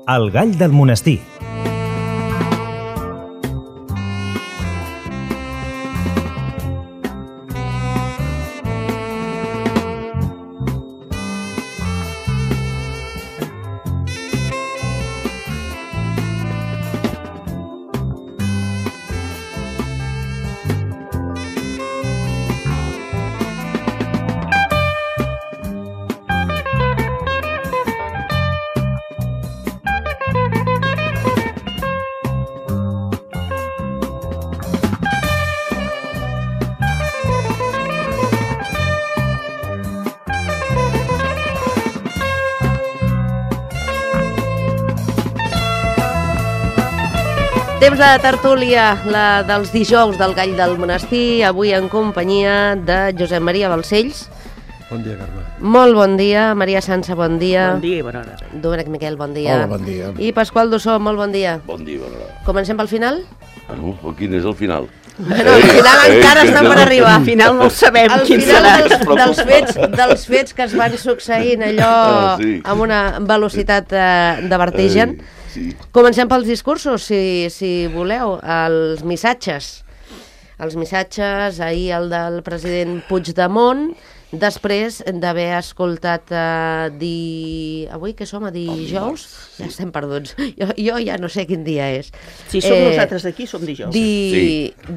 El gall del monestir. Temps de tertúlia, la dels dijous del Gall del Monestir, avui en companyia de Josep Maria Balcells. Bon dia, Carme. Molt bon dia. Maria Sansa, bon dia. Bon dia i bona hora. Domènec Miquel, bon dia. Hola, bon dia. I Pasqual Dossó, molt bon dia. Bon dia, bona hora. Comencem pel final? Bueno, quin és el final? Bueno, al final encara està per arribar. Al final no sabem Al quin final serà. dels fets que es van succeint allò sí. amb una velocitat de vertigen. Sí. Comencem pels discursos, si voleu, els missatges. Els missatges, ahir el del president Puigdemont, després d'haver escoltat avui que som, a dijous? Sí. Ja estem perduts. Jo ja no sé quin dia és. Si som nosaltres aquí, som dijous.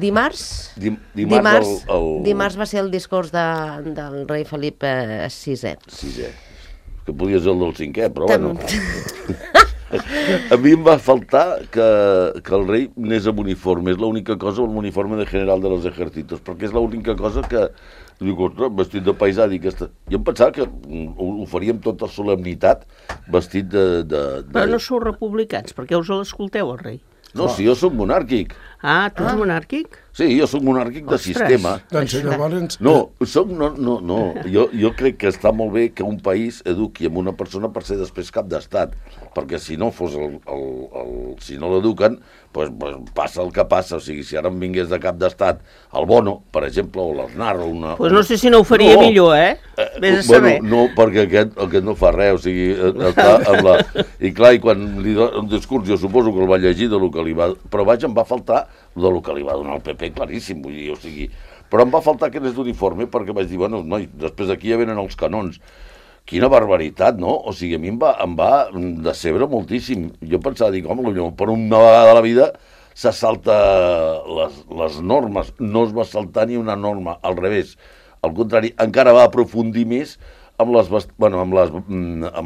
Dimarts? Dimarts va ser el discurs del rei Felip VI. Sisè. Que podia ser el del cinquè, però bueno. A mi em va faltar que el rei anés amb uniforme. És l'única cosa, amb l'uniforme de general de los ejércitos, perquè és l'única cosa que... Dic, ostres, vestit de paisà, dic... Jo em pensava que ho faríem tota solemnitat, vestit de... Però no sou republicans, perquè us l'escolteu, el rei. No, si jo soc monàrquic. Ah, tu ets monàrquic? Sí, jo soc monàrquic de sistema. Doncs llavors... No. Jo crec que està molt bé que un país eduqui amb una persona per ser després cap d'estat, perquè si no fos si no l'eduquen, pues passa el que passa. O sigui, si ara em vingués de cap d'estat el Bono, per exemple, o l'Aznar, o una... Pues no sé si no ho faria millor, eh? Vés a saber. No, perquè aquest no fa res, o sigui, està amb la... I clar, i quan li dono un discurs, jo suposo que el va llegir de lo que li va... Però vaja, em va faltar de lo que li va donar el PP, claríssim, vull dir, o sigui... Però em va faltar que anés d'uniforme, perquè vaig dir, bueno, noi, després d'aquí ja venen els canons. Quina barbaritat, no? O sigui, a mi em va decebre moltíssim. Jo pensava, dic, home, per una vegada a la vida se salta les normes. No es va saltar ni una norma, al revés. Al contrari, encara va aprofundir més amb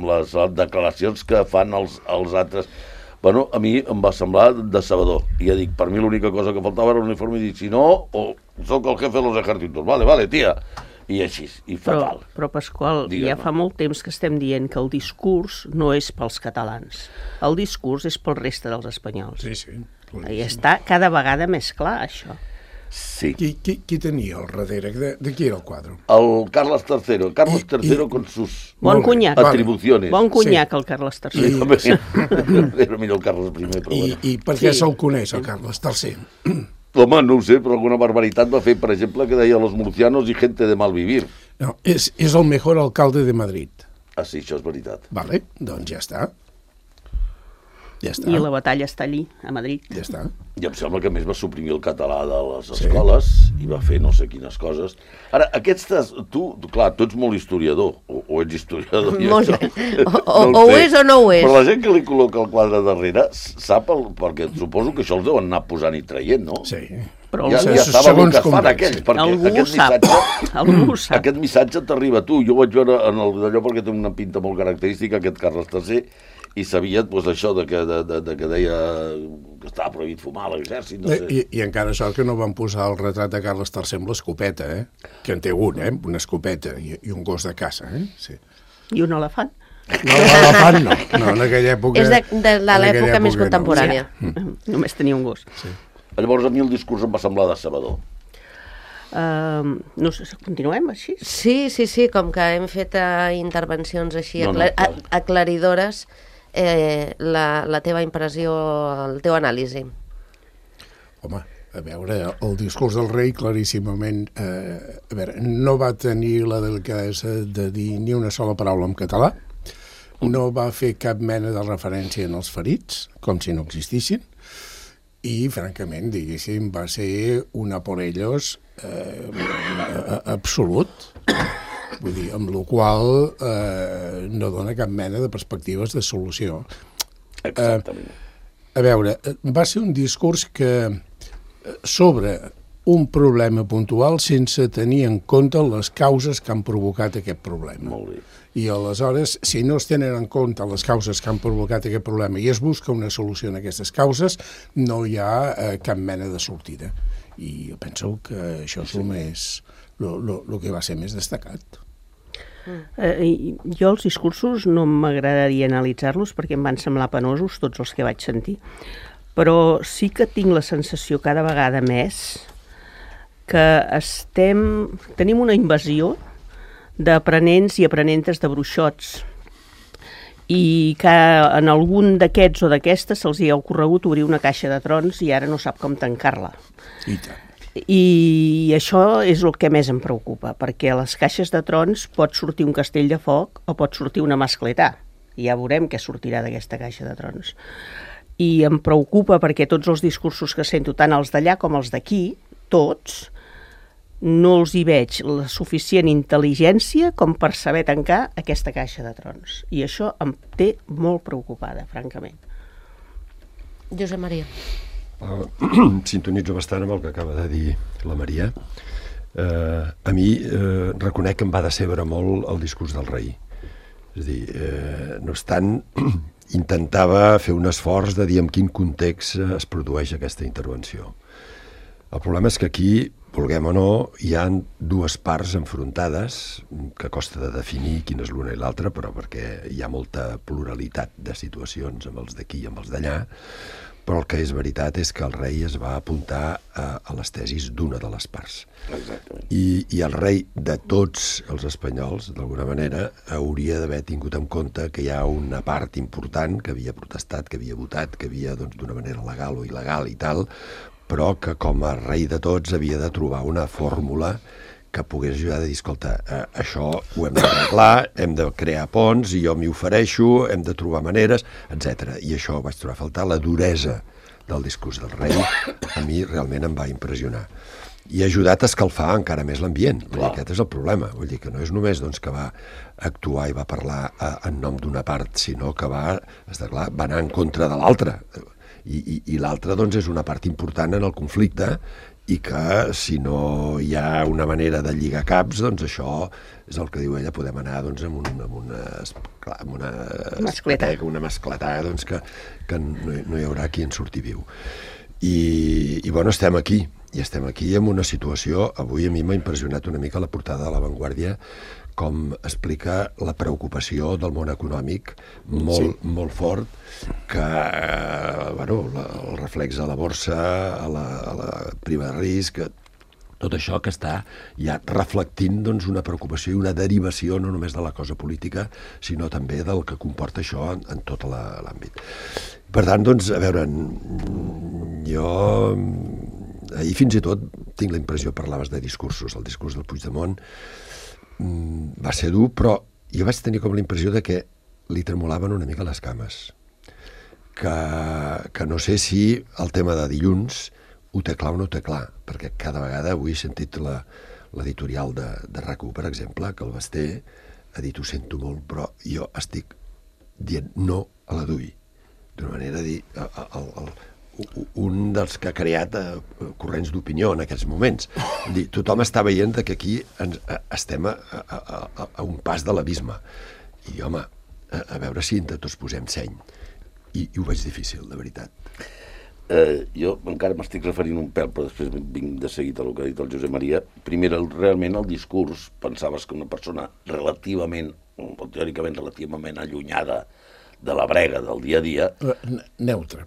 les declaracions que fan els altres. Bueno, a mi em va semblar decebedor. I ja dic, per mi l'única cosa que faltava era l'uniforme i dic, si no, soc el jefe de los ejércitos. Vale, tia. I així, i fatal. Però Pasqual, ja fa molt temps que estem dient que el discurs no és pels catalans. El discurs és pel reste dels espanyols. Sí. I està cada vegada més clar, això. Sí. Qui tenia al darrere? De qui era el quadre? El Carlos III. Carlos III con sus Bon conyac. atribuciones. Bon conyac, el Carles III. Era millor el Carles I, però bueno. I per què se'l coneix, el Carles III? Home, no ho sé, però alguna barbaritat va fer, per exemple, que deia los murcianos y gente de mal vivir. No, és el mejor alcalde de Madrid. Ah, sí, això és veritat. Vale, doncs ja està. I la batalla està allí, a Madrid. Ja està. I em sembla que a més va suprimir el català de les escoles i va fer no sé quines coses. Ara, tu ets molt historiador, o ets historiador. Molt bé. O ho és o no ho és. Però la gent que li col·loca el quadre darrere sap, perquè suposo que això els deuen anar posant i traient, no? Sí. Però ja saben el que fan aquells, perquè algú ho sap. Aquest missatge t'arriba a tu. Jo vaig veure en d'allò perquè té una pinta molt característica, aquest Carles III, i sabia això de que deia que estava prohibit fumar a l'exèrcit. No sé. I encara sort que no van posar el retrat de Carles III amb l'escopeta, que en té una escopeta i un gos de caça. Sí. I un elefant. No, l'elefant no, en aquella època... És de l'època més contemporània. Només tenia un gos. Sí. Llavors a mi el discurs em va semblar decebedor. No sé, continuem així? Sí, com que hem fet intervencions així aclaridores, la teva impressió, el teu anàlisi. Home, a veure, el discurs del rei claríssimament no va tenir la delicadesa de dir ni una sola paraula en català, no va fer cap mena de referència en els ferits, com si no existissin, i, francament, diguéssim, va ser una por ellos absolut, vull dir, amb la qual no dona cap mena de perspectives de solució. Exactament. A veure, va ser un discurs que sobre un problema puntual sense tenir en compte les causes que han provocat aquest problema. Molt bé. I aleshores, si no es tenen en compte les causes que han provocat aquest problema i es busca una solució en aquestes causes, no hi ha cap mena de sortida. I jo penso que això és el que va ser més destacat. Jo els discursos no m'agradaria analitzar-los perquè em van semblar penosos tots els que vaig sentir, però sí que tinc la sensació cada vegada més que tenim una invasió d'aprenents i aprenentes de bruixots i que en algun d'aquests o d'aquestes se'ls hi ha ocorregut obrir una caixa de trons i ara no sap com tancar-la. I tant. I això és el que més em preocupa, perquè a les caixes de trons pot sortir un castell de foc o pot sortir una mascletà. I ja veurem què sortirà d'aquesta caixa de trons. I em preocupa perquè tots els discursos que sento, tant els d'allà com els d'aquí, tots, no els hi veig la suficient intel·ligència com per saber tancar aquesta caixa de trons. I això em té molt preocupada, francament. Josep Maria. Sintonitzo bastant amb el que acaba de dir la Maria. A mi reconec que em va decebre molt el discurs del rei. És a dir, no obstant, intentava fer un esforç de dir en quin context es produeix aquesta intervenció. El problema és que aquí, vulguem o no, hi ha dues parts enfrontades que costa de definir quina és l'una i l'altra, però perquè hi ha molta pluralitat de situacions amb els d'aquí i amb els d'allà, però el que és veritat és que el rei es va apuntar a les tesis d'una de les parts. Exactament. I el rei de tots els espanyols, d'alguna manera, hauria d'haver tingut en compte que hi ha una part important que havia protestat, que havia votat, que havia, doncs, d'una manera legal o il·legal i tal, però que com a rei de tots havia de trobar una fórmula que pogués ajudar a dir, escolta, això ho hem d'arreglar, hem de crear ponts, i jo m'hi ofereixo, hem de trobar maneres, etc. I això ho vaig trobar a faltar, la duresa del discurs del rei, a mi realment em va impressionar. I ha ajudat a escalfar encara més l'ambient. Aquest és el problema. Vull dir que no és només doncs, que va actuar i va parlar en nom d'una part, sinó que va anar en contra de l'altra. I l'altra doncs, és una part important en el conflicte, i que si no hi ha una manera de lligar caps, doncs això és el que diu ella, podem anar doncs, amb una mascletà doncs, que no hi haurà qui en surti viu. I bueno, estem aquí amb una situació, avui a mi m'ha impressionat una mica la portada de La Vanguardia, com explica la preocupació del món econòmic molt fort, que el reflex a la borsa, a la prima de risc, tot això que està ja reflectint doncs, una preocupació i una derivació no només de la cosa política, sinó també del que comporta això en tot l'àmbit. Per tant, doncs, a veure, jo ahir fins i tot tinc la impressió, parlaves de discursos, el discurs del Puigdemont va ser dur, però jo vaig tenir com la impressió de que li tremolaven una mica les cames, que no sé si el tema de dilluns ho té clar o no ho té clar, perquè cada vegada avui he sentit l'editorial de RAC1, per exemple, que el Basté ha dit, ho sento molt, però jo estic dient no a la DUI, d'una manera de dir un dels que ha creat corrents d'opinió en aquests moments. Tothom està veient que aquí estem a un pas de l'abisme. I, home, a veure si entre tots posem seny. I ho veig difícil, de veritat. Jo encara m'estic referint un pèl, però després vinc de seguit a el que ha dit el Josep Maria. Primer, realment el discurs, pensaves que una persona relativament, o teòricament relativament allunyada de la brega del dia a dia... Neutre.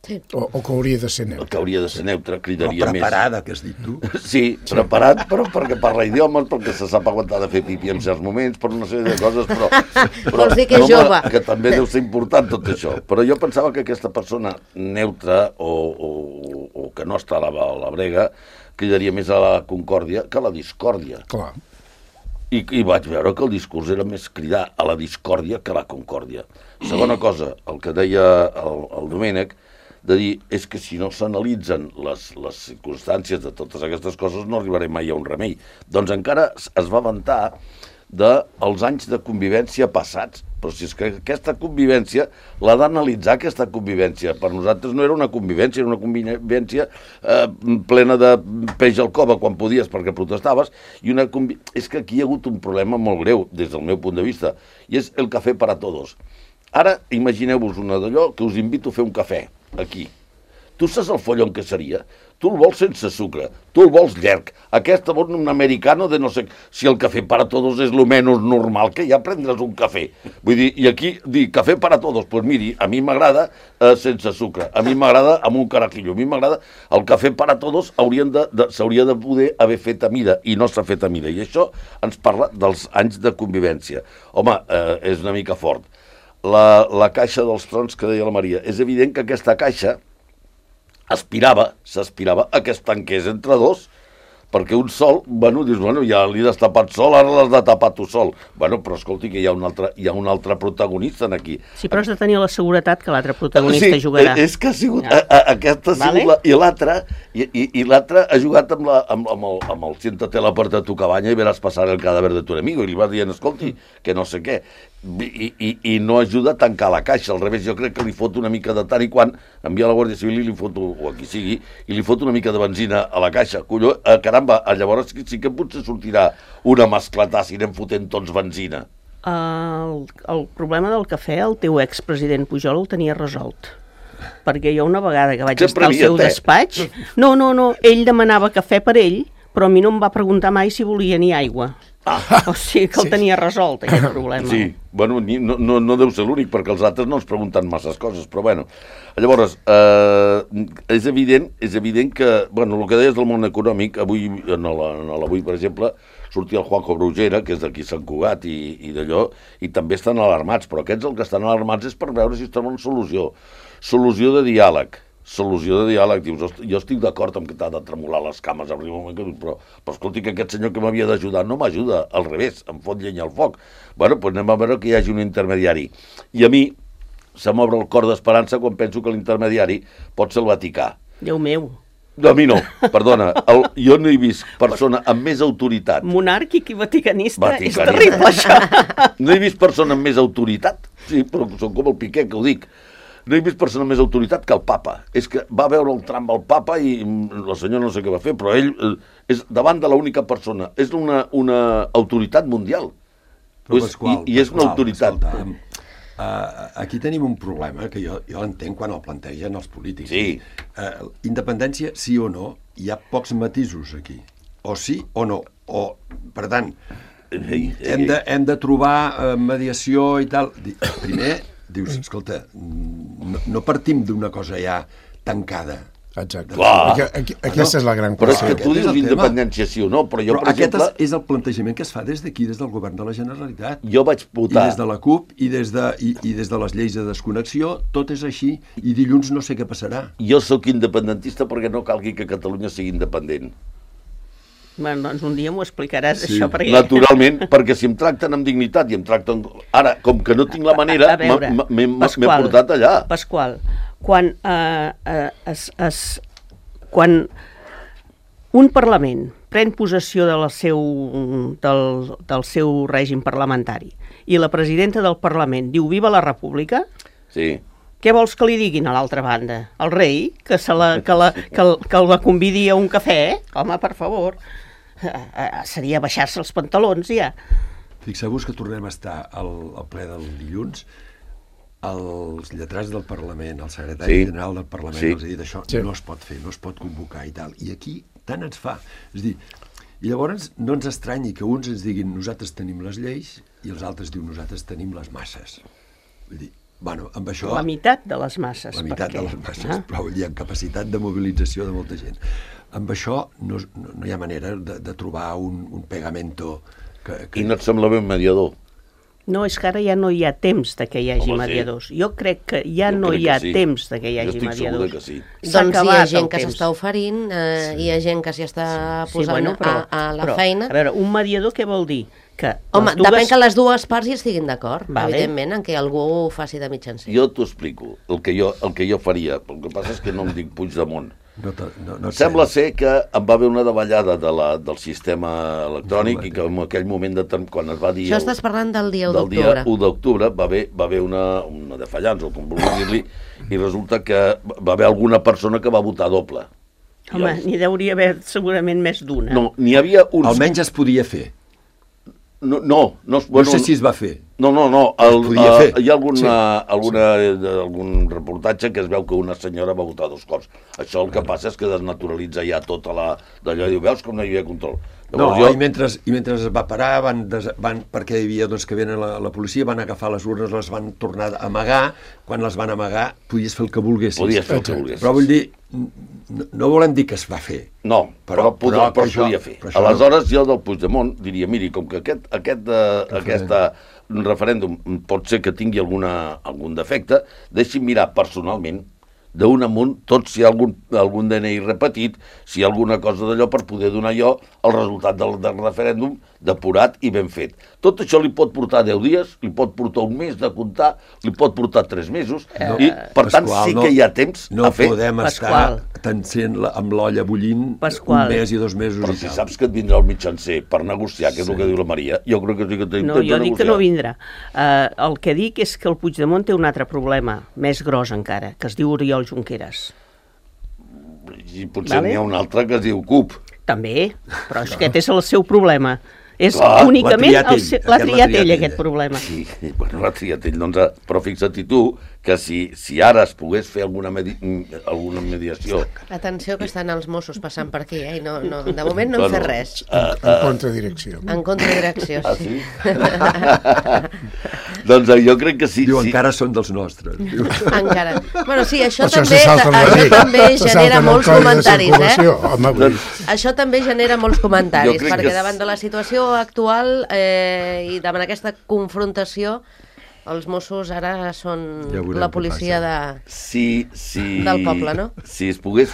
Sí. O que hauria de ser neutre. Que hauria de ser neutre, cridaria més. Preparada, que has dit tu. Sí, preparat, però perquè parla idiomes, perquè se sap aguantar de fer pipi en certs moments, per una sèrie de coses, però vols dir que és jove. Que també deu ser important tot això. Però jo pensava que aquesta persona neutra o que no està a la brega cridaria més a la concòrdia que a la discòrdia. Clar. I vaig veure que el discurs era més cridar a la discòrdia que a la concòrdia. Segona cosa, el que deia el Domènec, de dir, és que si no s'analitzen les circumstàncies de totes aquestes coses no arribarem mai a un remei. Doncs encara es va vantar dels anys de convivència passats, però si és que aquesta convivència l'ha d'analitzar, aquesta convivència. Per nosaltres no era una convivència, era una convivència plena de peix al cova quan podies perquè protestaves, i és que aquí hi ha hagut un problema molt greu des del meu punt de vista, i és el cafè per a tots. Ara imagineu-vos una d'allò que us invito a fer un cafè aquí. Tu saps el follon que seria? Tu el vols sense sucre, tu el vols llarg. Aquesta vol un americano de no sé... Si el cafè para todos és lo menys normal que ja prendràs un cafè. Vull dir, i aquí dir cafè para todos, doncs miri, a mi m'agrada sense sucre, a mi m'agrada amb un carajillo, a mi m'agrada... El cafè para todos s'hauria de poder haver fet a mida, i no s'ha fet a mida. I això ens parla dels anys de convivència. Home, és una mica fort. La caixa dels trons que deia la Maria. És evident que aquesta caixa s'aspirava a que es tanqués entre dos, perquè un sol, dius, ja l'he destapat sol, ara l'has de tapar tu sol. Però escolti, que hi ha un altre protagonista aquí. Sí, però has de tenir la seguretat que l'altre protagonista jugarà. És que ha sigut, aquesta ha sigut i l'altre ha jugat amb el siéntate a la puerta de tu cabanya i veràs passar el cadàver de tu enemigo, i li vas dient, escolti, que no sé què. I no ajuda a tancar la caixa, al revés, jo crec que li fot una mica de tant i quan envia la Guàrdia Civil i li fot, o a qui sigui, i li fot una mica de benzina a la caixa. Colló, caramba, llavors sí que potser sortirà una mascletà si anem fotent tots benzina. El problema del cafè, el teu expresident Pujol el tenia resolt. Perquè jo una vegada que vaig estar al seu despatx... No, ell demanava cafè per ell, però a mi no em va preguntar mai si volia ni aigua. O sigui que el tenia resolt, aquest problema. Sí, no deu ser l'únic, perquè els altres no ens pregunten masses coses, però bueno. Llavors, és evident que, el que deies del món econòmic, avui, avui, per exemple, sortia el Juanjo Brugera, que és d'aquí Sant Cugat i d'allò, i també estan alarmats, però aquests el que estan alarmats és per veure si es troben solució. Solució de diàleg. Dius, jo estic d'acord amb que t'ha de tremolar les cames, però escolti que aquest senyor que m'havia d'ajudar no m'ajuda, al revés, em fot llenya al foc. Doncs anem a veure que hi hagi un intermediari. I a mi se m'obre el cor d'esperança quan penso que l'intermediari pot ser el Vaticà. Déu meu. A mi no, perdona, jo no he vist persona amb més autoritat. Monàrquic i vaticanista. És terrible, això. No he vist persona amb més autoritat, sí, però són com el Piqué, que ho dic. No he vist persona amb més autoritat que el papa. És que va veure el tram al papa i la senyora no sé què va fer, però ell és davant de l'única persona. És una autoritat mundial. I és una autoritat. Aquí tenim un problema que jo l'entenc quan el plantegen els polítics. Sí. Independència, sí o no, hi ha pocs matisos aquí. O sí o no. Per tant, hem de trobar mediació i tal. Primer, dius, escolta, no partim d'una cosa ja tancada. Exacte. Aquesta és la gran qüestió. Però és que tu dius independència sí o no, però jo, per exemple... Aquest és el plantejament que es fa des d'aquí, des del govern de la Generalitat. Jo vaig votar... I des de la CUP, i des de les lleis de desconnexió, tot és així, i dilluns no sé què passarà. Jo sóc independentista perquè no calgui que Catalunya sigui independent. Doncs un dia m'ho explicaràs, això, perquè... Naturalment, perquè si em tracten amb dignitat i em tracten... Ara, com que no tinc la manera, m'he portat allà. Pasqual, quan un Parlament pren possessió del seu règim parlamentari i la presidenta del Parlament diu «Viva la República», sí. Què vols que li diguin a l'altra banda? El rei? Que la convidi a un cafè? Home, per favor. Seria baixar-se els pantalons, ja. Fixeu-vos que tornem a estar al ple del dilluns. Els lletrats del Parlament, el secretari general del Parlament, els ha dit això, no es pot fer, no es pot convocar i tal. I aquí tant ens fa. És dir, i llavors no ens estranyi que uns ens diguin nosaltres tenim les lleis i els altres diuen nosaltres tenim les masses. Vull dir, amb això... La meitat de les masses. La meitat de les masses, però hi ha capacitat de mobilització de molta gent. Amb això no hi ha manera de trobar un pegamento... I no et sembla bé un mediador? No, és que ara ja no hi ha temps de que hi hagi mediadors. Jo crec que ja no hi ha temps de que hi hagi mediadors. Jo estic segur que sí. Doncs hi ha gent que s'està oferint, hi ha gent que s'hi està posant a la feina. A veure, un mediador què vol dir? que... Home, depèn que les dues parts hi estiguin d'acord, Vale. evidentment, en què algú ho faci de mitjancer. Jo t'ho explico, el que jo faria. El que passa és que no em dic Puigdemont. No et Sembla sé. ser que em va haver una davallada del sistema electrònic i que en aquell moment, quan es va dir... Això estàs parlant del dia 1 del dia d'octubre. 1 d'octubre va haver una defallança, o com vulguis dir-li, i resulta que va haver alguna persona que va votar doble. Home, n'hi hauria haver segurament més d'una. No, n'hi havia uns... Almenys es podia fer. No No sé si es va fer. No, podia fer. hi ha algun reportatge que es veu que una senyora va votar 2 cops. Això el que passa és que desnaturalitza ja tota d'allò, i diu, veus com no hi havia control. No, Llavors i mentre es va parar, perquè hi havia, doncs, que venen la policia, van agafar les urnes, les van tornar a amagar. Quan les van amagar, podies fer el que volguessis. Podies fer el que volguessis. Però vull dir, no volem dir que es va fer. No, però es podia fer. Aleshores, jo del Puigdemont diria, miri, com que aquest referèndum pot ser que tingui algun defecte, deixi'm mirar personalment d'un amunt, tot si hi ha algun DNI repetit, si hi ha alguna cosa d'allò per poder donar jo el resultat del referèndum depurat i ben fet. Tot això li pot portar 10 dies, li pot portar un mes de comptar, li pot portar 3 mesos, i per tant sí que hi ha temps a fer. No podem estar tensent amb l'olla bullint un mes i 2 mesos. Però si saps que et vindrà el mitjancer per negociar, que és el que diu la Maria, jo crec que sí que t'intenta negociar. No, jo dic que no vindrà. El que dic és que el Puigdemont té un altre problema, més gros encara, que es diu Oriol Junqueras. I potser n'hi ha un altre que es diu CUP. També, però aquest és el seu problema. És Clar, únicament l'ha triat ell, aquest problema. Sí, bueno, l'ha triat ell, doncs, però fixa't tu que si ara es pogués fer alguna mediació... Atenció que estan els Mossos passant per aquí, i no, de moment no hem fet res. En contradirecció. En contradirecció, Ah, sí. sí? Doncs jo crec que sí. Diu, sí. encara són dels nostres. Diu. Encara. Bueno, sí, això Això també, se salten la llei. també genera molts comentaris, Home, vull dir, Això també genera molts comentaris, Jo crec perquè que davant de la situació actual i davant aquesta confrontació, els Mossos ara són Ja veurem la què policia del poble, no? Si es pogués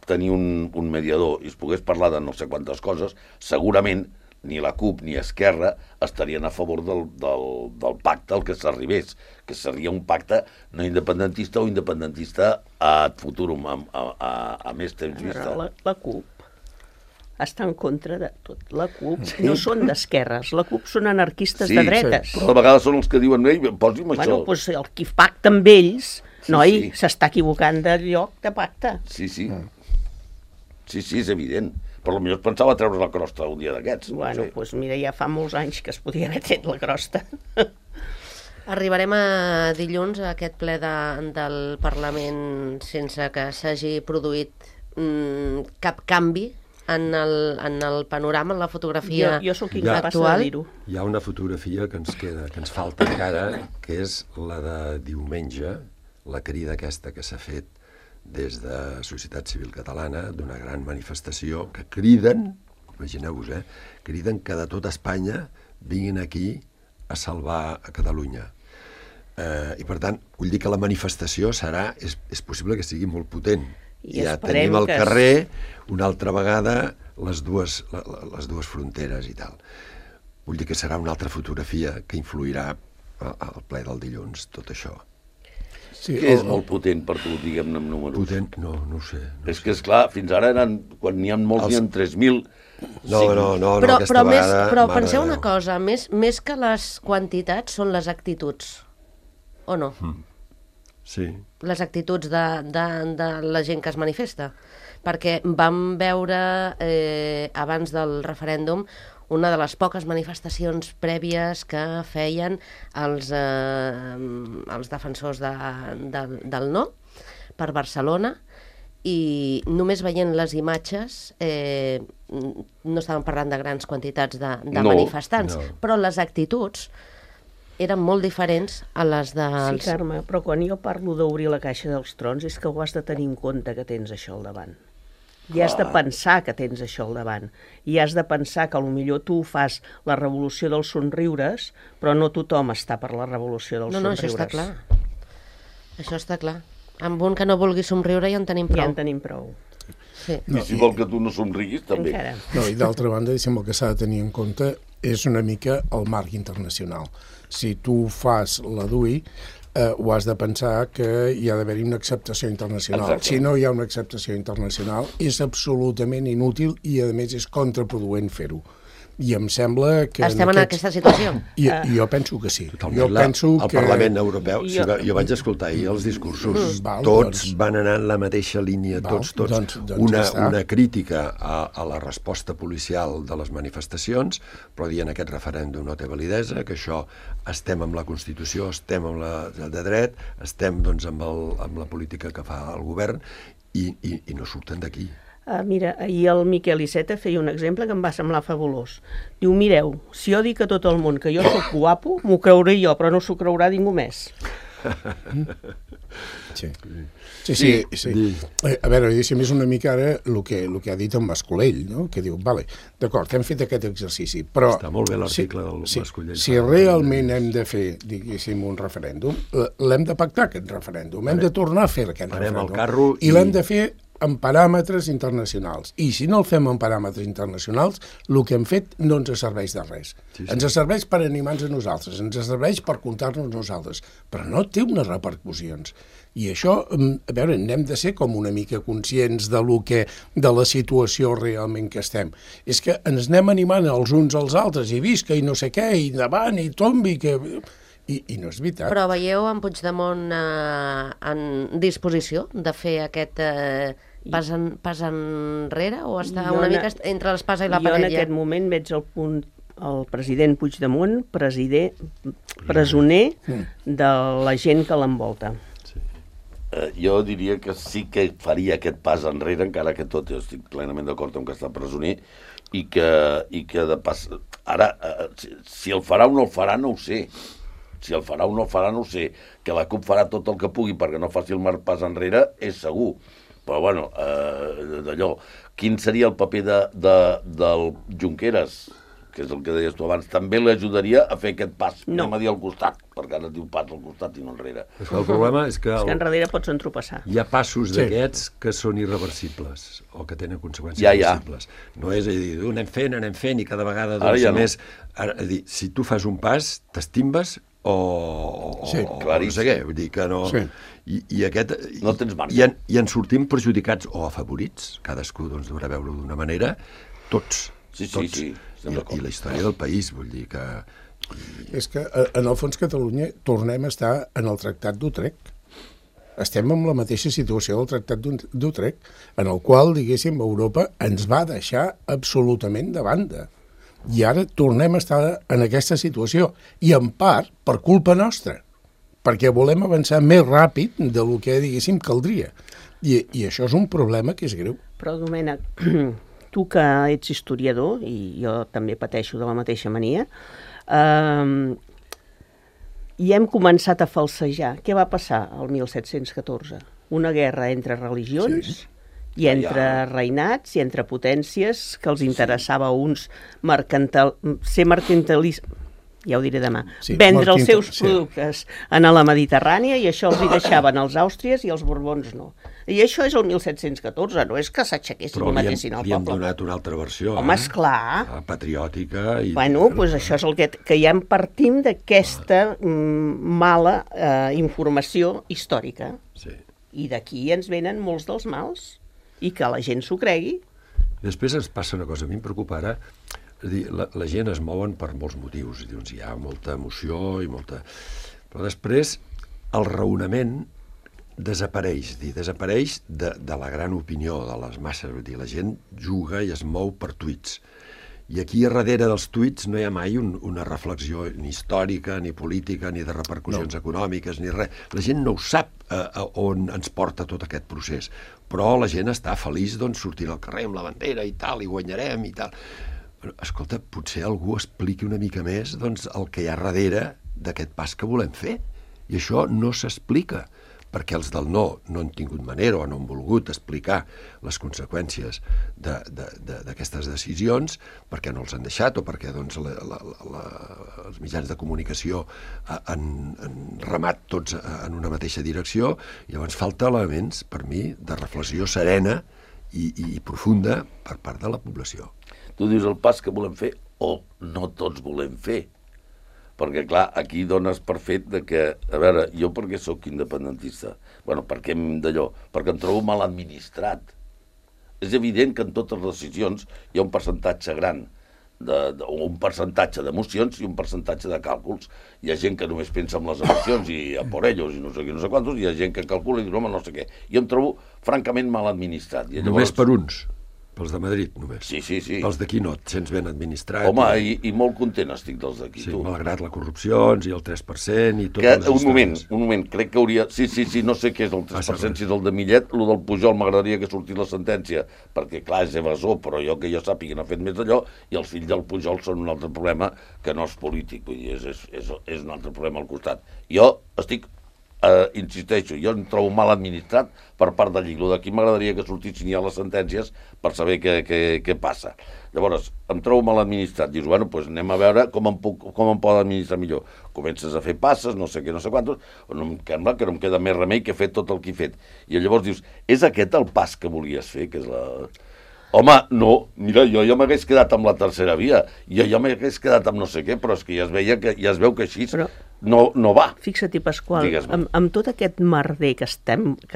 tenir un mediador i es pogués parlar de no sé quantes coses, segurament ni la CUP ni Esquerra estarien a favor del pacte al que s'arribés, que seria un pacte no independentista o independentista ad futurum, a més temps vista. La CUP està en contra de tot. La CUP no són d'esquerres, la CUP són anarquistes de dretes. Però a vegades són els que diuen, ei, posi'm això. Bueno, doncs el qui pacta amb ells, noi, s'està equivocant de lloc de pacte. Sí, és evident. Però potser es pensava treure la crosta un dia d'aquests. Bueno, doncs mira, ja fa molts anys que es podia haver tret la crosta. Arribarem a dilluns a aquest ple del Parlament sense que s'hagi produït cap canvi en el panorama, en la fotografia jo sóc incapaç actual. de dir-ho. Hi ha una fotografia que ens queda, que ens falta encara, que és la de diumenge, la crida aquesta que s'ha fet des de Societat Civil Catalana, d'una gran manifestació, que criden, imagineu-vos, criden que de tot Espanya vinguin aquí a salvar a Catalunya. I per tant, vull dir que la manifestació és possible que sigui molt potent. I ja esperem tenim al que carrer una altra vegada les dues fronteres i tal. Vull dir que serà una altra fotografia que influirà al ple del dilluns, tot això. sí, Què és molt potent per tu, diguem-ne, amb números? Potent? No ho sé. És que, esclar, fins ara quan n'hi ha molts, n'hi ha 3.000. No, Però aquesta vegada... però mare penseu de una Déu. cosa, més que les quantitats són les actituds, o no? Sí. Les actituds de la gent que es manifesta. Perquè vam veure abans del referèndum una de les poques manifestacions prèvies que feien els defensors del no per Barcelona, i només veient les imatges no estàvem parlant de grans quantitats de manifestants, però les actituds eren molt diferents a les dels... Sí, Carme, però quan jo parlo d'obrir la caixa dels trons és que ho has de tenir en compte que tens això al davant. I has de pensar que tens això al davant. I has de pensar que potser tu fas la revolució dels somriures, però no tothom està per la revolució dels somriures. No, això està clar. Això està clar. Amb un que no vulgui somriure ja en tenim prou. Ja en tenim prou. Sí. I si vol que tu no somriguis, també. Encara. No, i d'altra banda, sembla que s'ha de tenir en compte és una mica el marc internacional. Si tu fas la DUI, ho has de pensar que hi ha d'haver-hi una acceptació internacional. Exacte. Si no hi ha una acceptació internacional, és absolutament inútil i, a més, és contraproduent fer-ho. I em sembla que... Estem en aquesta situació? Jo penso que sí. Totalment. El Parlament Europeu, jo vaig escoltar ahir els discursos, tots van anar en la mateixa línia, tots. Una crítica a la resposta policial de les manifestacions, però dient aquest referèndum no té validesa, que això estem amb la Constitució, estem amb la de dret, estem doncs amb la política que fa el govern i no surten d'aquí. Mira, ahir el Miquel Iceta feia un exemple que em va semblar fabulós. Diu, mireu, si jo dic a tot el món que jo sóc guapo, m'ho creuré jo, però no s'ho creurà ningú més. Sí. A veure, és una mica ara el que ha dit en Mascolell, no? Que diu, vale, d'acord, hem fet aquest exercici, però... Està molt bé l'article del Mascolell. Si realment hem de fer, diguéssim, un referèndum, l'hem de pactar, aquest referèndum, hem de tornar a fer aquest referèndum. I l'hem de fer en paràmetres internacionals. I si no el fem en paràmetres internacionals, el que hem fet no ens serveix de res. Ens serveix per animar-nos a nosaltres, ens serveix per comptar-nos nosaltres, però no té unes repercussions. I això, a veure, n'hem de ser com una mica conscients de la situació realment que estem. És que ens anem animant els uns als altres, i visca, i no sé què, i endavant, i tombi, que... I no és veritat. Però veieu en Puigdemont en disposició de fer aquest pas enrere o està una mica entre l'espasa i la parella? Jo en aquest moment veig el president Puigdemont presoner de la gent que l'envolta. Jo diria que sí que faria aquest pas enrere, encara que tot, jo estic plenament d'acord amb que està presoner, i que de pas... Ara, si el farà o no el farà, no ho sé. Si el farà o no el farà, no ho sé. Que la CUP farà tot el que pugui perquè no faci el pas enrere, és segur. Però, bueno, d'allò... Quin seria el paper del Junqueras? Que és el que deies tu abans. També l'ajudaria a fer aquest pas. No. Anem a dir al costat, perquè ara es diu pas al costat i no enrere. El problema és que... És que enrere pots entropassar. Hi ha passos d'aquests que són irreversibles o que tenen conseqüències irreversibles. No és a dir, anem fent i cada vegada més... Ara, si tu fas un pas, t'estimbes o no sé què, vull dir que no... I aquest... No tens marge. I en sortim perjudicats o afavorits, cadascú doncs deurà veure d'una manera, tots. Sí. I la història del país, vull dir que... És que, en el fons, Catalunya tornem a estar en el Tractat d'Utrecht. Estem en la mateixa situació del Tractat d'Utrecht, en el qual, diguéssim, Europa ens va deixar absolutament de banda. I ara tornem a estar en aquesta situació, i en part per culpa nostra, perquè volem avançar més ràpid del que, diguéssim, caldria. I això és un problema que és greu. Però, Domènec, tu que ets historiador, i jo també pateixo de la mateixa mania, i hem començat a falsejar. Què va passar el 1714? Una guerra entre religions... i entre reinats i entre potències que els interessava a uns ser mercantilistes, ja ho diré demà, vendre els seus productes a la Mediterrània, i això els hi deixaven els àustries i els borbons no. I això és el 1714, no és que s'aixequessin i matessin el poble. Però li hem donat una altra versió. Home, esclar. Patriòtica. Bueno, doncs això és el que ja en partim d'aquesta mala informació històrica. Sí. I d'aquí ens venen molts dels mals. I que la gent s'ho cregui. Després ens passa una cosa, a mi em preocupa ara, és a dir, la gent es mouen per molts motius, doncs hi ha molta emoció i molta... Però després el raonament desapareix de la gran opinió de les masses, vull dir, la gent juga i es mou per tuits. I aquí, a darrere dels tuits, no hi ha mai una reflexió ni històrica, ni política, ni de repercussions econòmiques, ni res. La gent no ho sap on ens porta tot aquest procés, però la gent està feliç sortint al carrer amb la bandera i tal, i guanyarem i tal. Escolta, potser algú expliqui una mica més el que hi ha darrere d'aquest pas que volem fer. I això no s'explica, perquè els del no han tingut manera o no han volgut explicar les conseqüències d'aquestes decisions, perquè no els han deixat o perquè els mitjans de comunicació han remat tots en una mateixa direcció. Llavors falta elements, per mi, de reflexió serena i profunda per part de la població. Tu dius el pas que volem fer o no tots volem fer. Perquè, clar, aquí dones per fet de que, a veure, jo per què sóc independentista? Bueno, perquè em trobo mal administrat. És evident que en totes les decisions hi ha un percentatge gran, un percentatge d'emocions i un percentatge de càlculs. Hi ha gent que només pensa en les emocions i a por ellos i no sé què, no sé quantos, i hi ha gent que calcula i diu, home, no sé què. Jo em trobo francament mal administrat. I només per uns? Pels de Madrid, només? Sí. Pels d'aquí no, et sents ben administrat. Home, i molt content estic dels d'aquí, tu. Sí, malgrat la corrupcions i el 3% i tot. Un moment, crec que hauria... Sí, no sé què és el 3%, si és el de Millet, el del Pujol, m'agradaria que sortís la sentència, perquè, clar, és evasor, però que jo sàpiga n'ha fet més d'allò, i els fills del Pujol són un altre problema que no és polític, vull dir, és un altre problema al costat. Jo estic... insisteixo, jo em trobo mal administrat per part del Llic. D'aquí m'agradaria que sortissin ja les sentències per saber què passa. Llavors, em trobo mal administrat. Dius, bueno, doncs anem a veure com em pot administrar millor. Comences a fer passes, no sé què, no sé quantos, no em sembla que no em queda més remei que fer tot el que he fet. I llavors dius, és aquest el pas que volies fer, que és la... Home, no, mira, jo ja m'hagués quedat amb la tercera via, jo ja m'hagués quedat amb no sé què, però és que ja es veu que així no va. Fixa't, Pasqual, amb tot aquest merder que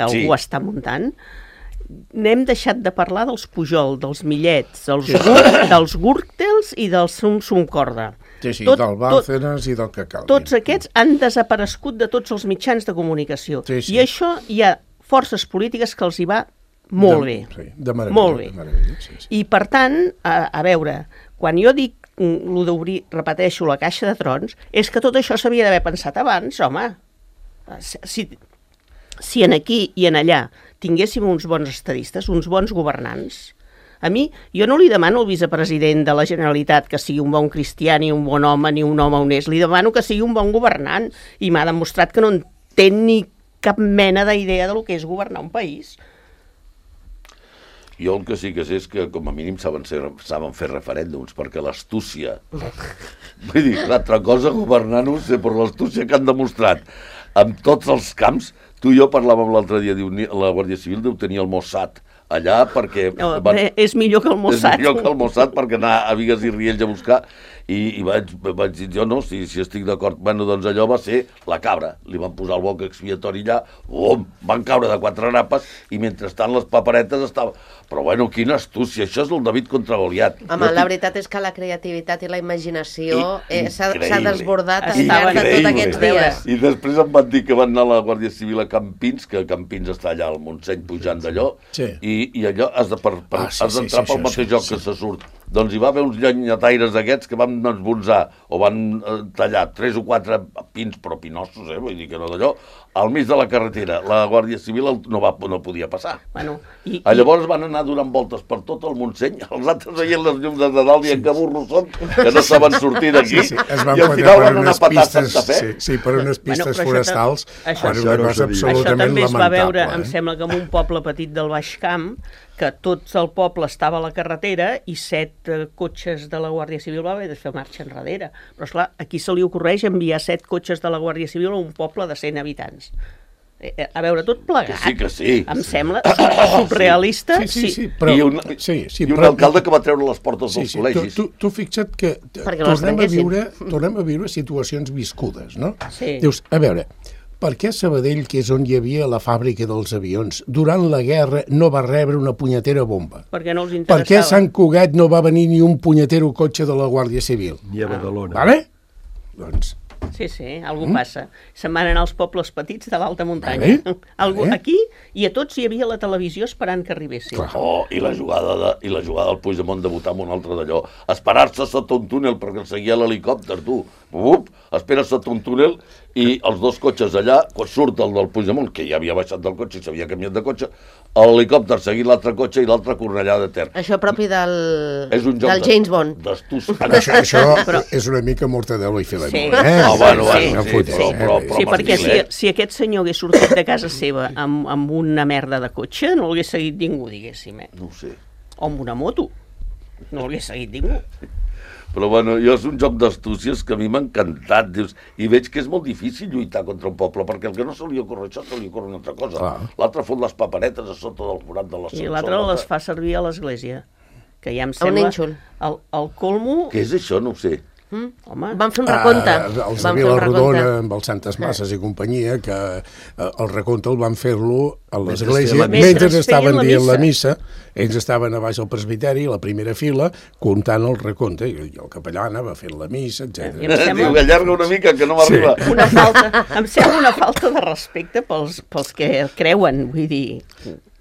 algú està muntant, n'hem deixat de parlar dels Pujol, dels Millets, dels Gürtels i dels Sum Corda. Sí, del Bárcenas i del que calgui. Tots aquests han desaparegut de tots els mitjans de comunicació. I això hi ha forces polítiques que els hi va molt bé. Sí, de meravella. Molt bé. De meravella, sí. I, per tant, a veure, quan jo dic el d'obrir, repeteixo, la caixa de trons, és que tot això s'havia d'haver pensat abans, home. Si en aquí i en allà tinguéssim uns bons estadistes, uns bons governants, a mi, jo no li demano al vicepresident de la Generalitat que sigui un bon cristià, ni un bon home, ni un home honest, li demano que sigui un bon governant, i m'ha demostrat que no entén ni cap mena d'idea de lo que és governar un país. Jo el que sí que sé és que, com a mínim, saben fer referèndums, perquè l'astúcia... Vull dir, l'altra cosa, governar no ho sé, però l'astúcia que han demostrat en tots els camps... Tu i jo parlàvem l'altre dia, diu, la Guàrdia Civil deu tenir el Mossad allà perquè... És millor que el Mossad. És millor que el Mossad perquè anar a Bigues i Riells a buscar... I vaig dir, jo no, si estic d'acord. Bueno, doncs allò va ser la cabra. Li van posar el boc expiatori allà, van caure de 4 grapes i mentrestant les paperetes estaven... Però bueno, quina astúcia, això és el David contra Goliat. Home, la veritat és que la creativitat i la imaginació s'ha desbordat al llarg de tots aquests dies. I després em van dir que van anar a la Guàrdia Civil a Campins, que Campins està allà al Montseny pujant d'allò, i allò has d'entrar pel mateix lloc que se surt. Doncs hi va haver uns llenyataires d'aquests que van esbonzar o van tallar 3 o 4 pins, però pinossos, vull dir que no d'allò, al mig de la carretera. La Guàrdia Civil no podia passar. Llavors van anar donant voltes per tot el Montseny, els altres veient les llums de dalt dient que burros són, que no saben sortir d'aquí, i al final van anar a patar Santa Fe. Sí, per unes pistes forestals, això una cosa absolutament també es va veure, lamentable. Em sembla que en un poble petit del Baix Camp, que tot el poble estava a la carretera i 7 cotxes de la Guàrdia Civil va haver de fer marxa enrere. Però, esclar, aquí se li ocorreix enviar 7 cotxes de la Guàrdia Civil a un poble de 100 habitants. A veure, tot plegat. Que sí. Em sembla surrealista. Sí, I un alcalde que va treure les portes dels col·legis. Tu fixa't que tornem a viure situacions viscudes, no? Sí. Dius, a veure, per què Sabadell, que és on hi havia la fàbrica dels avions, durant la guerra no va rebre una punyetera bomba? Perquè no els interessava. Per què a Sant Cugat no va venir ni un punyetero cotxe de la Guàrdia Civil? Ni a Badalona. Vale? Doncs... Sí, algú passa. Se'n van anar als pobles petits de l'alta muntanya. Aquí i a tots hi havia la televisió esperant que arribessin. I la jugada del Puigdemont de votar amb un altre d'allò. Esperar-se sota un túnel perquè el seguia l'helicòpter, tu. Esperes sota un túnel i els 2 cotxes allà, quan surt el del Puigdemont, que ja havia baixat del cotxe i s'havia canviat de cotxe, l'helicòpter seguint l'altre cotxe i l'altre cornellà de terra. Això propi del James Bond. Això és una mica Mortadelo i Filemó. Sí, perquè si aquest senyor hagués sortit de casa seva amb una merda de cotxe, no l'hagués seguit ningú, diguéssim. No ho sé. O amb una moto. No l'hagués seguit ningú. Però bueno, és un joc d'astúcies que a mi m'ha encantat, dius, i veig que és molt difícil lluitar contra un poble, perquè el que no se li ocorre això, se li ocorre una altra cosa. L'altre fot les paperetes a sota del forat de la I l'altre les fa servir a l'església, que ja em un sembla... nínxol. El colmo... Què és això? No ho sé. Home, Van fer un recompte. Els de Vilarrodona, amb els Santes Masses i companyia, que el recompte el van fer-lo a l'església. Mentre estaven dient la missa, ells estaven a baix al presbiteri, a la primera fila, comptant el recompte, i el capellà anava fent la missa, etc. Diu que allarga una mica, que no m'arriba. Em sembla una falta de respecte pels que creuen, vull dir...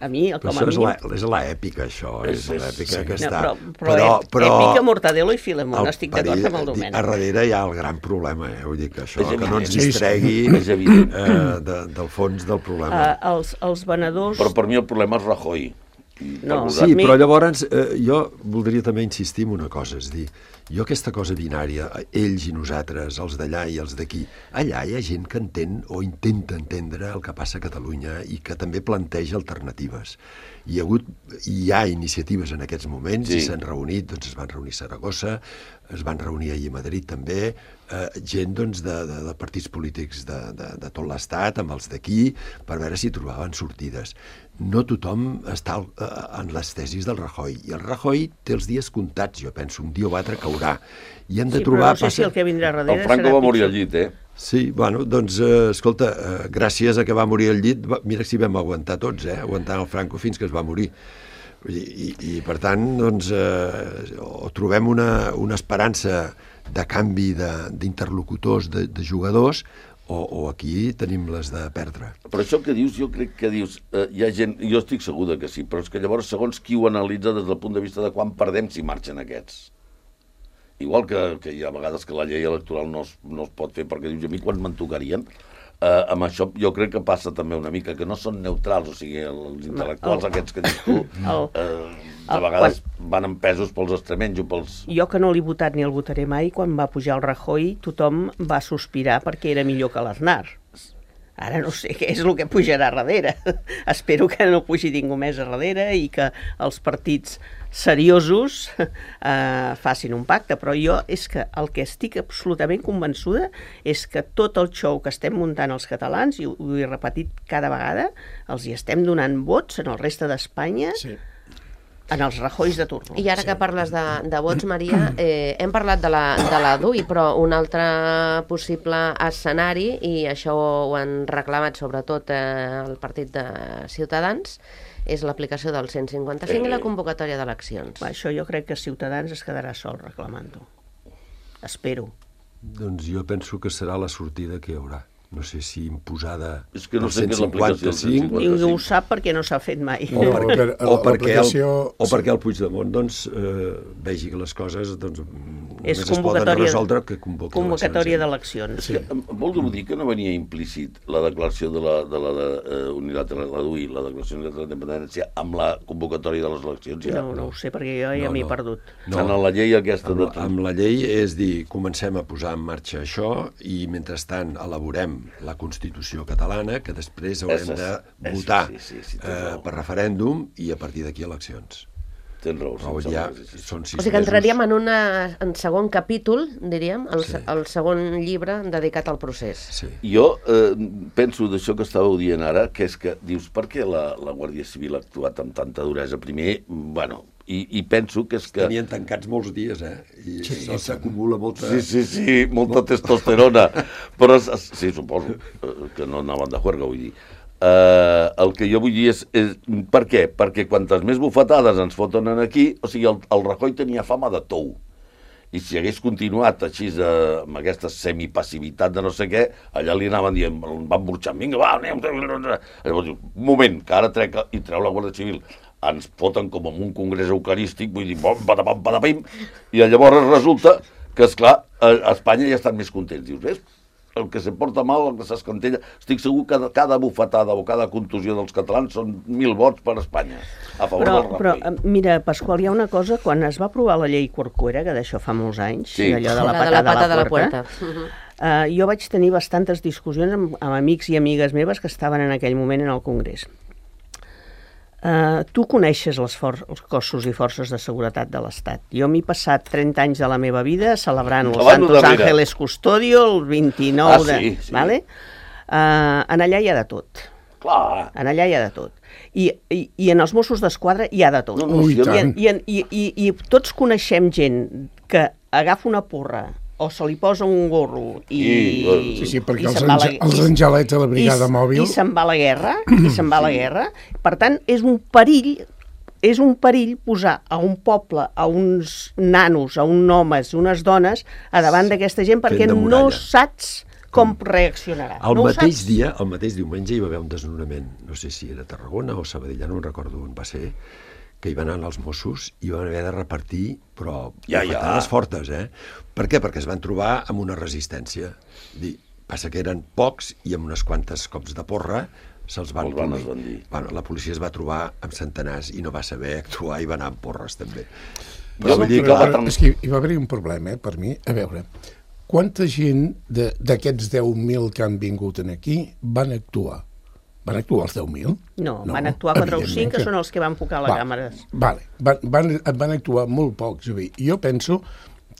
A mi, com a mínim... És l'èpica, això, és l'èpica que està... Però èpica, Mortadelo i Filemón, estic d'acord amb el Domènec. A darrere hi ha el gran problema, vull dir que això, que no ens És distregui del fons del problema. Els venedors... Però per mi el problema és Rajoy. No, Sí, però llavors jo voldria també insistir en una cosa, és dir, jo aquesta cosa binària, ells i nosaltres, els d'allà i els d'aquí, allà hi ha gent que entén o intenta entendre el que passa a Catalunya i que també planteja alternatives. Hi ha iniciatives en aquests moments i s'han reunit, doncs es van reunir a Saragossa, es van reunir ahir a Madrid també, gent doncs, de partits polítics de tot l'Estat, amb els d'aquí, per veure si trobaven sortides. No tothom està en les tesis del Rajoy, i el Rajoy té els dies comptats, jo penso, un dia o altre caurà. I hem de trobar... Però no sé si el que vindrà darrere serà pitjor. El Franco va morir al llit, Sí, bueno, doncs, escolta, gràcies a que va morir al llit, mira si vam aguantar tots, aguantant el Franco fins que es va morir. I per tant, doncs, o trobem una esperança de canvi d'interlocutors, de jugadors, o aquí tenim les de perdre. Però això que dius, jo crec que dius, hi ha gent, jo estic segur que sí, però és que llavors segons qui ho analitza des del punt de vista de quan perdem si marxen aquests. Igual que hi ha vegades que la llei electoral no es pot fer perquè dius, a mi quan me'n tocarien, amb això jo crec que passa també una mica, que no són neutrals, o sigui, els intel·lectuals aquests que dius tu, de vegades van empesos pels extremenys o pels... Jo que no l'he votat ni el votaré mai, quan va pujar el Rajoy, tothom va sospirar perquè era millor que l'Aznar. Ara no sé què és el que pujarà a darrere. Espero que no pugi ningú més a darrere i que els partits seriosos facin un pacte, però jo és que el que estic absolutament convençuda és que tot el show que estem muntant els catalans, i ho he repetit cada vegada, els hi estem donant vots en el reste d'Espanya, en els Rajoys de turno. I ara que parles de vots, Maria, hem parlat de la DUI, però un altre possible escenari, i això ho han reclamat sobretot el partit de Ciutadans, és l'aplicació del 155 i la convocatòria d'eleccions. Això jo crec que Ciutadans es quedarà sol reclamant-ho. Espero. Doncs jo penso que serà la sortida que hi haurà. No sé si imposada és que no sé què és l'aplicació del 155. Ningú ho sap perquè no s'ha fet mai. O perquè el Puigdemont doncs, vegi que les coses doncs, només es poden resoldre que convocatòria d'eleccions. Vol dir que no venia implícit la declaració de la unilateral, la DUI, la declaració unilateral d'independència, amb la convocatòria de les eleccions? No ho sé, perquè jo ja m'he perdut. En la llei aquesta... Amb la llei és dir, comencem a posar en marxa això i mentrestant elaborem la Constitució catalana, que després haurem de votar per referèndum i a partir d'aquí eleccions. Tens raó. Però ja són 6 mesos. O sigui que entraríem en segon capítol, diríem, el segon llibre dedicat al procés. Sí. Jo penso d'això que estàveu dient ara, que és que dius, per què la Guàrdia Civil ha actuat amb tanta duresa? Primer, bueno... I penso que és que... Tenien tancats molts dies, I s'acumula molta... Sí, molta testosterona. Però, sí, suposo que no anaven de juerga, vull dir. El que jo vull dir és per què? Perquè quantes més bufetades ens foten aquí, o sigui, el Rajoy tenia fama de tou. I si hagués continuat així amb aquesta semipassivitat de no sé què, allà li anaven dient, van burxant, vinga, va, anem... Llavors diu, un moment, que ara treu la Guàrdia Civil, ens foten com en un congrés eucarístic, vull dir, bom, patapam, patapim, i llavors resulta que, esclar, a Espanya ja estan més contents. Dius, ves? El que se porta mal, el que s'escantella... Estic segur que cada bufetada o cada contusió dels catalans són 1.000 vots per Espanya, a favor del Rajoy. Però, mira, Pasqual, hi ha una cosa, quan es va aprovar la llei Corcuera, que d'això fa molts anys, allò de la patada de la puerta, jo vaig tenir bastantes discussions amb amics i amigues meves que estaven en aquell moment en el Congrés. Tu coneixes els cossos i forces de seguretat de l'Estat. Jo m'he passat 30 anys de la meva vida celebrant els Santos Ángeles Custodio, el 29 de... Vale? En allà hi ha de tot. Clar. En allà hi ha de tot. I en els Mossos d'Esquadra hi ha de tot. No, sí, I tots coneixem gent que agafa una porra o se li posa un gorro Sí, perquè els angelets de la brigada mòbil... I se'n va a la guerra, Per tant, és un perill posar a un poble, a uns nanos, a uns homes, unes dones, a davant d'aquesta gent, perquè no saps com reaccionarà. El mateix dia, el mateix diumenge, hi va haver un desnonament, no sé si era Tarragona o Sabadell, no recordo on va ser, que hi van anar els Mossos i van haver de repartir, però patades fortes, Per què? Perquè es van trobar amb una resistència. Passa que eren pocs i amb unes quantes cops de porra se'ls van esbandir. Bueno, la policia es va trobar amb centenars i no va saber actuar i va anar amb porres, també. És que hi va haver un problema, per mi. A veure, quanta gent d'aquests 10.000 que han vingut aquí van actuar? Van actuar els 10.000? No, van actuar 4 o 5, que són els que van focar les càmeres. Vale, van actuar molt pocs. Jo penso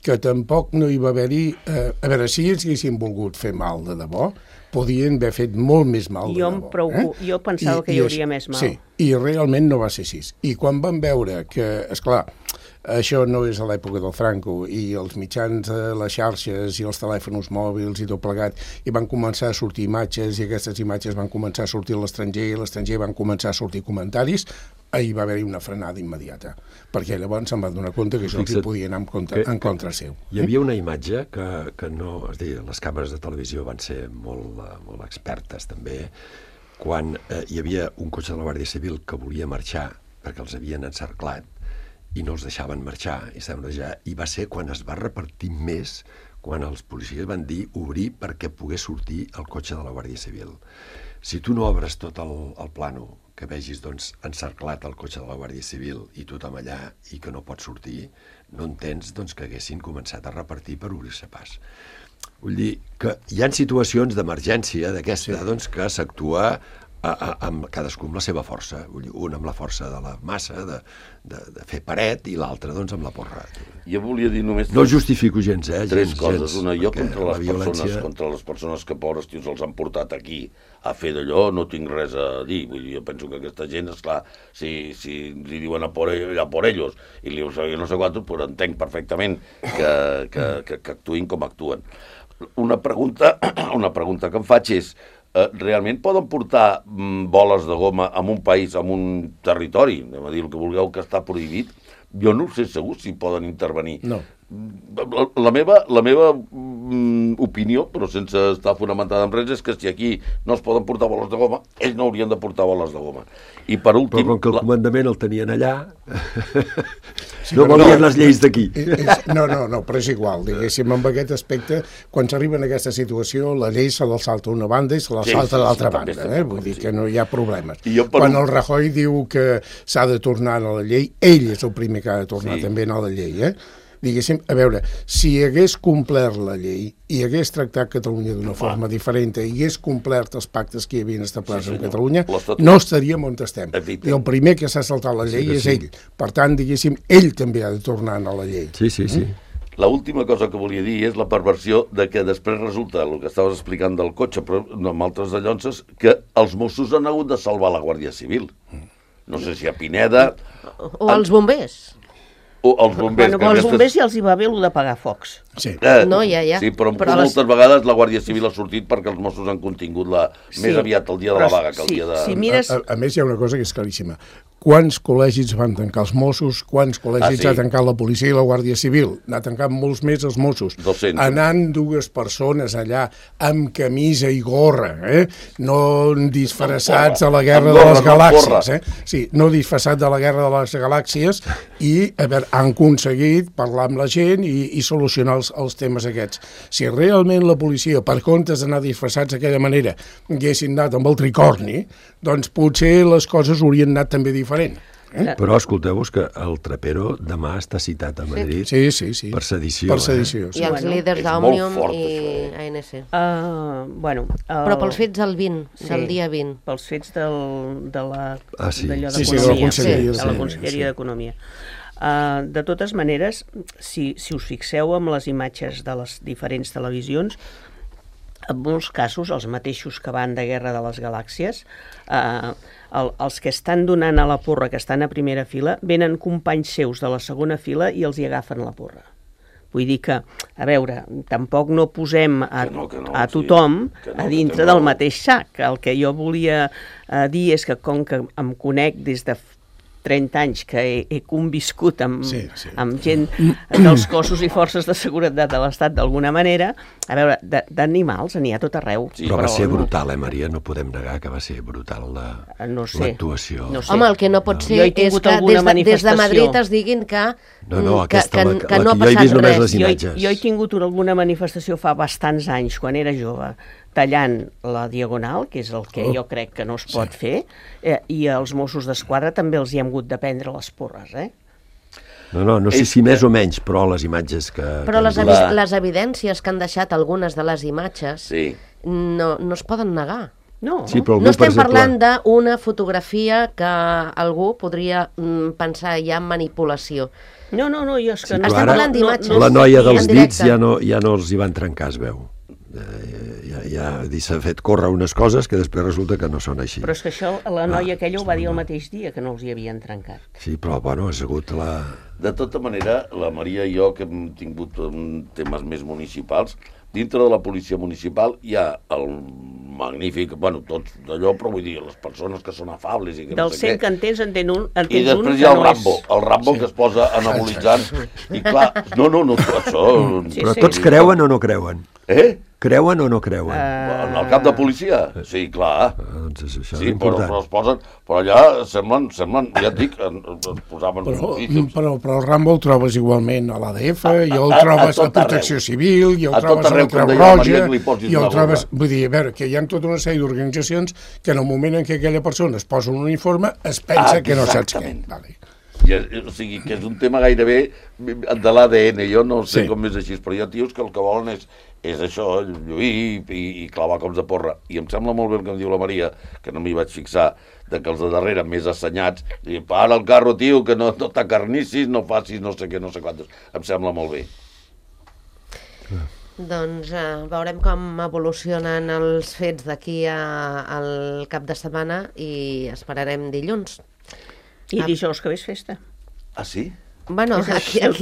que tampoc no hi va haver-hi... A veure, si ells haguessin volgut fer mal de debò, podien haver fet molt més mal de debò. Jo pensava que hi hauria més mal. Sí, i realment no va ser així. I quan van veure que, esclar, això no és a l'època del Franco, i els mitjans, les xarxes i els telèfons mòbils i tot plegat, i van començar a sortir imatges, i aquestes imatges van començar a sortir a l'estranger, i a l'estranger van començar a sortir comentaris, ahir va haver-hi una frenada immediata, perquè llavors se'n van donar compte que això els podia anar en contra seu. Hi havia una imatge que no... És a dir, les càmeres de televisió van ser molt expertes, també, quan hi havia un cotxe de la Guàrdia Civil que volia marxar perquè els havien encerclat i no els deixaven marxar, i va ser quan es va repartir més, quan els policies van dir obrir perquè pogués sortir el cotxe de la Guàrdia Civil. Si tu no obres tot el plànol, que vegis encerclat el cotxe de la Guàrdia Civil i tothom allà i que no pot sortir, no entens que haguessin començat a repartir per obrir-se pas. Vull dir que hi ha situacions d'emergència d'aquesta que s'actua amb cadascú amb la seva força, un amb la força de la massa, de fer paret, i l'altre amb la porra. Jo volia dir només... No justifico gens, Tres coses. Una, jo contra les persones que, pobres tios, els han portat aquí a fer d'allò, no tinc res a dir. Vull dir, jo penso que aquesta gent, esclar, si li diuen a por ellos i li diuen no sé quantos, però entenc perfectament que actuïn com actuen. Una pregunta que em faig és, realment poden portar boles de goma en un país, en un territori, anem a dir el que vulgueu, que està prohibit? Jo no ho sé segur si poden intervenir. No. La meva opinió, però sense estar fonamentada en res, és que si aquí no es poden portar boles de goma, ells no haurien de portar boles de goma. I per últim... Però com que el comandament el tenien allà, no valien les lleis d'aquí. No, però és igual, diguéssim, amb aquest aspecte, quan s'arriba en aquesta situació, la llei se la salta una banda i se la salta l'altra banda, vull dir que no hi ha problemes. Quan el Rajoy diu que s'ha de tornar a la llei, ell és el primer que ha de tornar també a la llei, Diguéssim, a veure, si hagués complert la llei i hagués tractat Catalunya d'una forma diferent i hagués complert els pactes que hi havien establerts en Catalunya, no estaríem on estem. I el primer que s'ha saltat la llei és ell. Per tant, diguéssim, ell també ha de tornar a la llei. Sí. L'última cosa que volia dir és la perversió de que després resulta, el que estaves explicant del cotxe, però amb altres dallonses, que els Mossos han hagut de salvar la Guàrdia Civil. No sé si a Pineda... O els bombers. Els bombers, els bombers ja els hi va bé el de pagar focs. Sí. No, ja. Sí, però moltes vegades la Guàrdia Civil ha sortit perquè els Mossos han contingut més aviat el dia de la vaga que el dia de... Si mires... A més, hi ha una cosa que és claríssima. Quants col·legis van tancar els Mossos, quants col·legis ha tancat la policia i la Guàrdia Civil? N'ha tancat molts més els Mossos. 200. Anant dues persones allà amb camisa i gorra, no disfressats a la Guerra de les Galàxies. Sí, no disfressats de la Guerra de les Galàxies i han aconseguit parlar amb la gent i solucionar els temes aquests. Si realment la policia, per comptes d'anar disfressats d'aquella manera, haguessin anat amb el tricorni, doncs potser les coses haurien anat també diferent. Però escolteu-vos que el Trapero demà està citat a Madrid per sedició. I els líders d'Òmnium i ANC. Però pels fets del 20, del dia 20. Pels fets de la Conselleria d'Economia. De totes maneres, si us fixeu amb les imatges de les diferents televisions, en molts casos, els mateixos que van de Guerra de les Galàxies, els que estan donant a la porra, que estan a primera fila, venen companys seus de la segona fila i els hi agafen la porra. Vull dir que, a veure, tampoc no posem a tothom a dintre del mateix sac. El que jo volia dir és que com que em conec des de 30 anys que he conviscut amb gent dels cossos i forces de seguretat de l'Estat d'alguna manera, a veure, d'animals n'hi ha tot arreu. Sí, però va ser brutal, Maria? No podem negar que va ser brutal l'actuació. No sé. Home, el que no pot ser és que des de Madrid es diguin que no ha passat res. Jo he tingut alguna manifestació fa bastants anys, quan era jove, tallant la Diagonal, que és el que jo crec que no es pot fer, i els Mossos d'Esquadra també els hi hem hagut de prendre les porres, No sé si més o menys, però les imatges que... Però les evidències que han deixat algunes de les imatges no es poden negar. No estem parlant d'una fotografia que algú podria pensar ja en manipulació. No, jo és que no. Estem parlant d'imatges. La noia dels dits ja no els hi van trencar, es veu. Ja s'ha fet córrer unes coses que després resulta que no són així. Però és que això, la noia aquella ho va dir el mateix dia, que no els hi havien trencat. Sí, però bueno, ha sigut la... De tota manera, la Maria i jo, que hem tingut temes més municipals, dintre de la policia municipal hi ha el magnífic, bueno, tots d'allò, però vull dir, les persones que són afables i que no sé què. Del 100 que entens un I després hi ha el Rambo que es posa anabolitzant. I clar, no, això... Però tots creuen o no creuen? Creuen o no creuen? En el cap de policia? Sí, clar. Doncs això és important. Però es posen... Però allà semblen ja et dic, es posaven... Però el Rambo el trobes igualment a l'ADF, i el trobes a Protecció Civil, i el trobes a la Creu Roja, i el trobes... Vull dir, a veure, que hi ha tota una sèrie d'organitzacions que en el moment en què aquella persona es posa un uniforme es pensa que no saps què. O sigui, que és un tema gairebé de l'ADN, jo no sé com és així, però hi ha tios que el que volen és això, lluir i clavar cops de porra. I em sembla molt bé el que em diu la Maria, que no m'hi vaig fixar, de que els de darrere, més assenyats, i para el carro, tio, que no t'acarnissis, no facis no sé què, no sé quantos. Em sembla molt bé. Doncs veurem com evolucionen els fets d'aquí al cap de setmana i esperarem dilluns. I dijous que ve és festa. Ah, sí? Bueno, aquí... El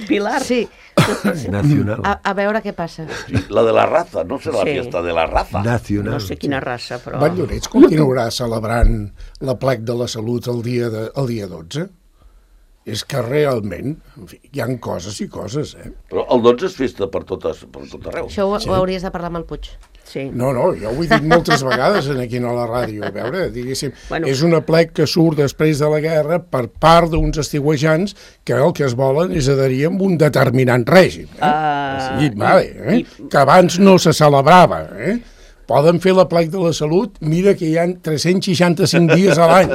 Pilar. Sí. Nacional. A veure què passa. La de la raza, no serà la fiesta de la raza. Nacional. No sé quina raça, però... Valldoreix continuarà celebrant l'aplec de la salut el dia 12? És que realment, en fi, hi ha coses i coses, Però el 12 és festa per tot arreu. Això ho hauries de parlar amb el Puig. Sí. No, jo ho he dit moltes vegades aquí a la ràdio, a veure, diguéssim, és un aplec que surt després de la guerra per part d'uns estiuejants que el que es volen és adherir a un determinant règim. Que abans no se celebrava, Poden fer l'aplec de la salut, mira que hi ha 365 dies a l'any,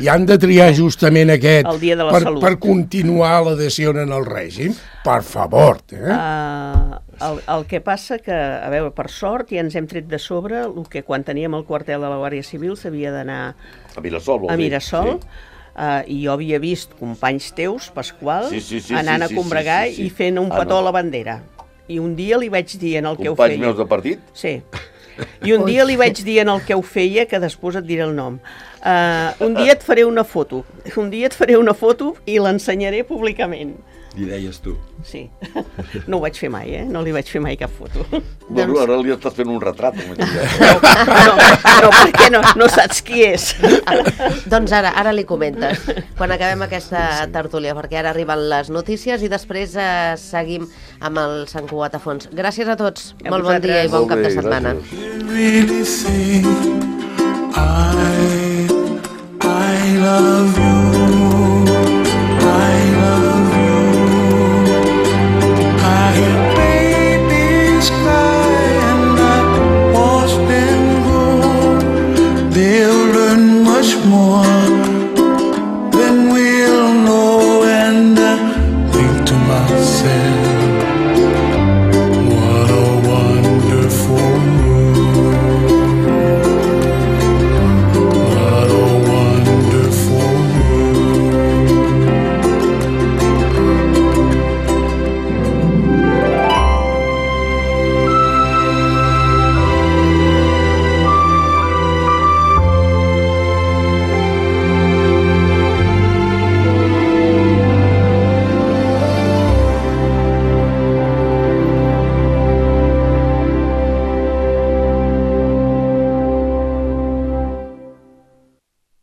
i han de triar justament aquest per continuar l'adhesió en el règim. Per favor. El que passa que, a veure, per sort ja ens hem tret de sobre el que quan teníem el quartel de la Guàrdia Civil s'havia d'anar a Mirasol. I jo havia vist companys teus, Pasqual, anant a combregar i fent un petó a la bandera. I un dia li vaig dir en el que ho feia... Companys meus de partit? Sí. I un dia li vaig dir en el que ho feia, que després et diré el nom, un dia et faré una foto i l'ensenyaré públicament. Li deies tu. Sí. No ho vaig fer mai, No li vaig fer mai cap foto. Bueno, ara li estàs fent un retrat. No, perquè no saps qui és. Doncs ara li comentes, quan acabem aquesta tertúlia, perquè ara arriben les notícies i després seguim amb el Sant Cugat a fons. Gràcies a tots, molt bon dia i bon cap de setmana. I love you.